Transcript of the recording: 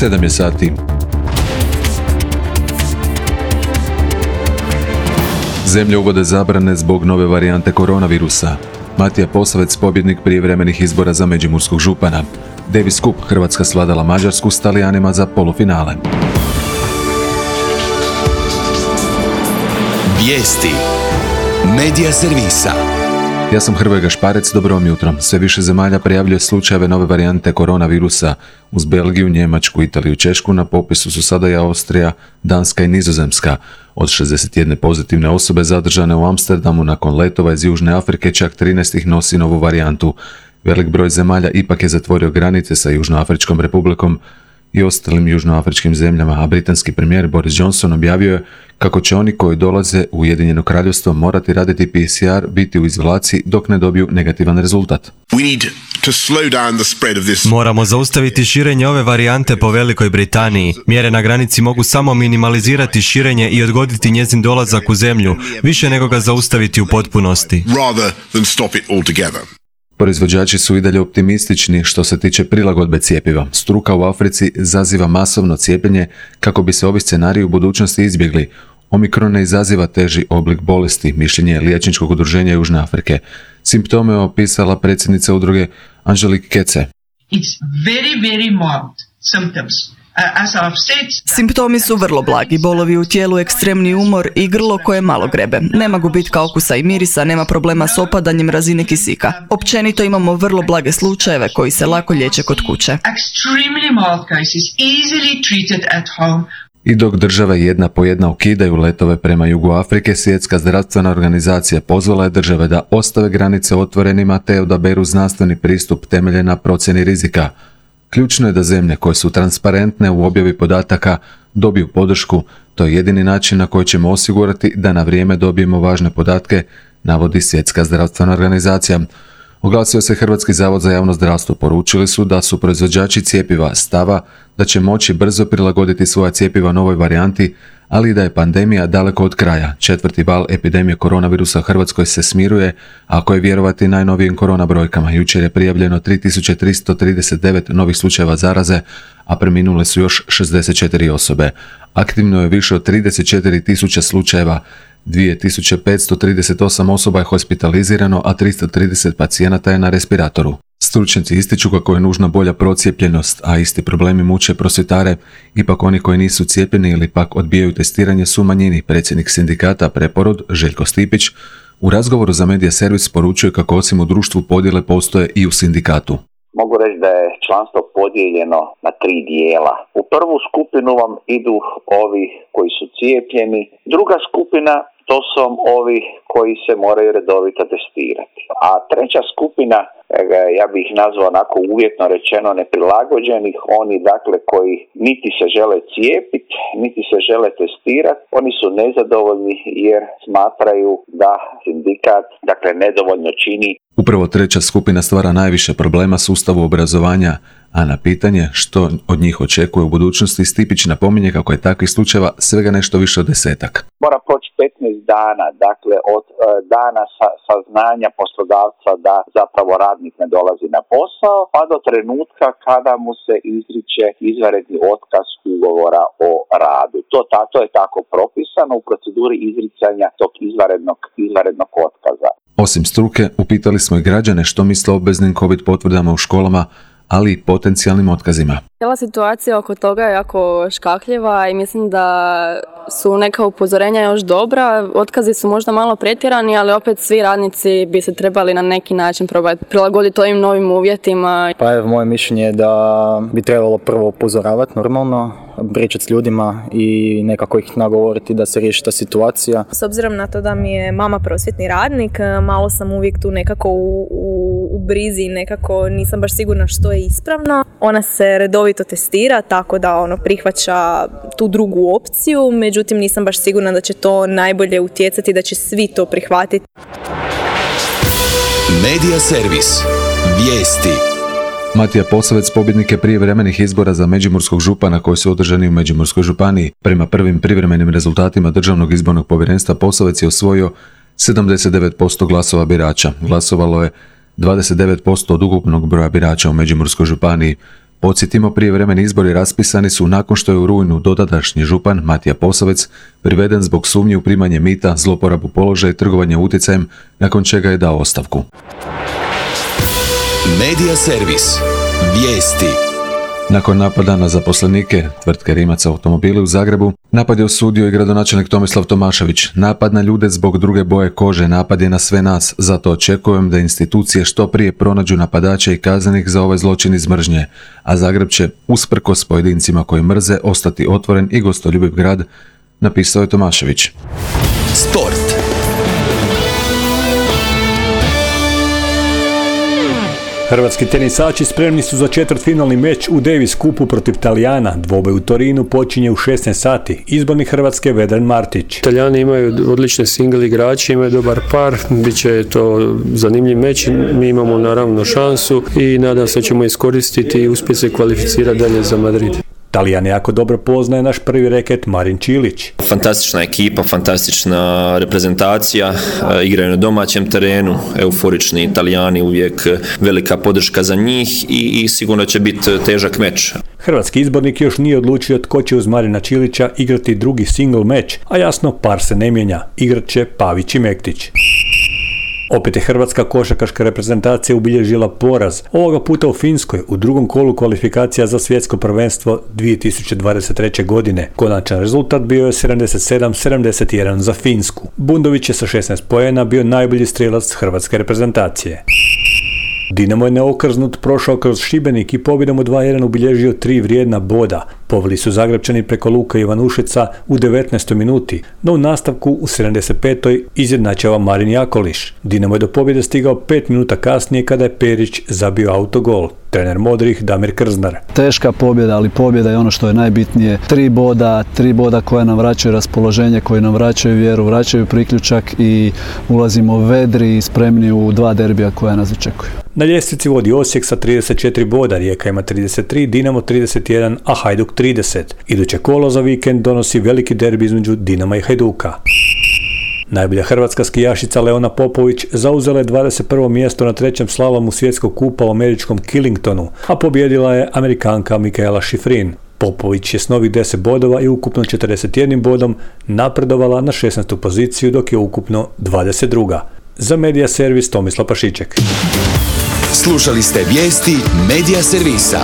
7 je sati. Zemlje uvode zabrane zbog nove varijante koronavirusa. Matija Posavec, pobjednik prijevremenih izbora za međimurskog župana. Davis Cup, Hrvatska svladala Mađarsku s Talijanima za polufinale. Vijesti Medija servisa. Ja sam Hrvoje Gašparec, dobro vam jutro. Sve više zemalja prijavljuje slučajeve nove varijante koronavirusa. Uz Belgiju, Njemačku, Italiju i Češku na popisu su sada i Austrija, Danska i Nizozemska. Od 61 pozitivne osobe zadržane u Amsterdamu nakon letova iz Južne Afrike, čak 13 ih nosi novu varijantu. Velik broj zemalja ipak je zatvorio granice sa Južnoafričkom republikom i ostalim južnoafričkim zemljama, a britanski premijer Boris Johnson objavio je kako će oni koji dolaze u Ujedinjeno Kraljevstvo morati raditi PCR, biti u izolaciji dok ne dobiju negativan rezultat. Moramo zaustaviti širenje ove varijante po Velikoj Britaniji. Mjere na granici mogu samo minimalizirati širenje i odgoditi njezin dolazak u zemlju, više nego ga zaustaviti u potpunosti. Proizvođači su i dalje optimistični što se tiče prilagodbe cjepiva. Struka u Africi zaziva masovno cijepljenje kako bi se ovi scenariji u budućnosti izbjegli. Omikron ne izaziva teži oblik bolesti, mišljenje je Liječničkog udruženja Južne Afrike. Simptome je opisala predsjednica udruge Angelique Kece. It's very mild symptoms. Simptomi su vrlo blagi, bolovi u tijelu, ekstremni umor i grlo koje malo grebe. Nema gubitka okusa i mirisa, nema problema s opadanjem razine kisika. Općenito imamo vrlo blage slučajeve koji se lako liječe kod kuće. I dok države jedna po jedna ukidaju letove prema jugu Afrike, Svjetska zdravstvena organizacija pozvala je države da ostave granice otvorenima te odaberu znanstveni pristup temeljen na procjeni rizika. Ključno je da zemlje koje su transparentne u objavi podataka dobiju podršku, to je jedini način na koji ćemo osigurati da na vrijeme dobijemo važne podatke, navodi Svjetska zdravstvena organizacija. Oglasio se Hrvatski zavod za javno zdravstvo, poručili su da su proizvođači cjepiva stava da će moći brzo prilagoditi svoja cjepiva novoj varijanti, ali i da je pandemija daleko od kraja. 4. val epidemije koronavirusa u Hrvatskoj se smiruje, ako je vjerovati najnovijim korona brojkama. Jučer je prijavljeno 3339 novih slučajeva zaraze, a preminule su još 64 osobe. Aktivno je više od 34.000 slučajeva, 2538 osoba je hospitalizirano, a 330 pacijenata je na respiratoru. Stručnjaci ističu kako je nužna bolja procijepljenost, a isti problemi muče prosvjetare. Ipak oni koji nisu cijepljeni ili pak odbijaju testiranje su manjini. Predsjednik sindikata Preporod, Željko Stipić, u razgovoru za Medija servis poručuje kako osim u društvu podjele postoje i u sindikatu. Mogu reći da je članstvo podijeljeno na 3 dijela. U prvu skupinu vam idu ovi koji su cijepljeni, druga skupina to su ovi koji se moraju redovito testirati. A treća skupina, ja bih ih nazvao onako uvjetno rečeno neprilagođenih, oni dakle koji niti se žele cijepiti, niti se žele testirati, oni su nezadovoljni jer smatraju da sindikat dakle nedovoljno čini. Upravo treća skupina stvara najviše problema sustavu obrazovanja, a na pitanje što od njih očekuje u budućnosti, Stipić napominje kako je takvih slučajeva svega nešto više od 10. Mora proći 15 dana, dakle od dana saznanja poslodavca da zapravo radnik ne dolazi na posao, pa do trenutka kada mu se izriče izvanredni otkaz ugovora o radu. To je tako propisano u proceduri izricanja tog izvanrednog otkaza. Osim struke, upitali smo i građane što misle o obveznim COVID potvrdama u školama, ali i potencijalnim otkazima. Cijela situacija oko toga je jako škakljiva i mislim da su neka upozorenja još dobra. Otkazi su možda malo pretjerani, ali opet svi radnici bi se trebali na neki način probati prilagoditi ovim novim uvjetima. Pa evo, moje mišljenje je da bi trebalo prvo upozoravati normalno, pričati s ljudima i nekako ih nagovoriti da se riješi ta situacija. S obzirom na to da mi je mama prosvjetni radnik, malo sam uvijek tu nekako u brizi, nekako nisam baš sigurna što je ispravno. Ona se redovito testira, tako da prihvaća tu drugu opciju, međutim nisam baš sigurna da će to najbolje utjecati, da će svi to prihvatiti. Medija servis. Vijesti. Matija Posavec, pobjednik je prijevremenih izbora za međimurskog župana koji su održani u Međimurskoj županiji. Prema prvim privremenim rezultatima Državnog izbornog povjerenstva Posavec je osvojio 79% glasova birača. Glasovalo je 29% od ukupnog broja birača u Međimurskoj županiji. Podsjetimo, prijevremeni izbori raspisani su nakon što je u rujnu dotadašnji župan Matija Posavec priveden zbog sumnje u primanje mita, zloporabu položaja i trgovanje utjecajem, nakon čega je dao ostavku. Medija servis. Vijesti. Nakon napada na zaposlenike tvrtke Rimac automobili u Zagrebu, napad je osudio i gradonačelnik Tomislav Tomašević. Napad na ljude zbog druge boje kože, napad je na sve nas, zato očekujem da institucije što prije pronađu napadače i kaznenih za ovaj zločin iz mržnje, a Zagreb će, usprkos pojedincima koji mrze, ostati otvoren i gostoljubiv grad, napisao je Tomašević. Sport. Hrvatski tenisači spremni su za četvrtfinalni meč u Davis Cupu protiv Talijana. Dvoboj u Torinu počinje u 16 sati. Izbornik Hrvatske Vedran Martić. Talijani imaju odlične single igrače, imaju dobar par, bit će to zanimljiv meč. Mi imamo naravno šansu i nadam se da ćemo iskoristiti i uspjeti se kvalificirati dalje za Madrid. Talijan jako dobro poznaje naš prvi reket Marin Čilić. Fantastična ekipa, fantastična reprezentacija, igraju na domaćem terenu, euforični Talijani, uvijek velika podrška za njih i sigurno će biti težak meč. Hrvatski izbornik još nije odlučio tko će uz Marina Čilića igrati drugi single meč, a jasno par se ne mijenja, igrat će Pavić i Mektić. Opet je hrvatska košarkaška reprezentacija ubilježila poraz, ovoga puta u Finskoj u drugom kolu kvalifikacija za svjetsko prvenstvo 2023. godine. Konačan rezultat bio je 77-71 za Finsku. Bundović je sa 16 poena bio najbolji strijelac hrvatske reprezentacije. Dinamo je neokrznut prošao kroz Šibenik i pobjedom od 2-1 ubilježio 3 vrijedna boda. Poveli su Zagrepčani preko Luka Ivanušeca u 19. minuti, no u nastavku u 75. izjednačava Marin Jakoliš. Dinamo je do pobjede stigao 5 minuta kasnije kada je Perić zabio autogol. Trener modrih Damir Krznar. Teška pobjeda, ali pobjeda je ono što je najbitnije. 3 boda koja nam vraćaju raspoloženje, koji nam vraćaju vjeru, vraćaju priključak i ulazimo vedri i spremni u 2 derbija koja nas očekuju. Na ljestvici vodi Osijek sa 34 boda, Rijeka ima 33, Dinamo 31, a Hajduk 30. Iduće kolo za vikend donosi veliki derbi između Dinama i Hajduka. Najbolja hrvatska skijašica Leona Popović zauzela je 21. mjesto na 3. slalomu svjetskog kupa u američkom Killingtonu, a pobjedila je Amerikanka Mikaela Šifrin. Popović je s novih 10 bodova i ukupno 41 bodom napredovala na 16. poziciju, dok je ukupno 22. Za Medija servis Tomislav Pašiček. Slušali ste vijesti Medija servisa.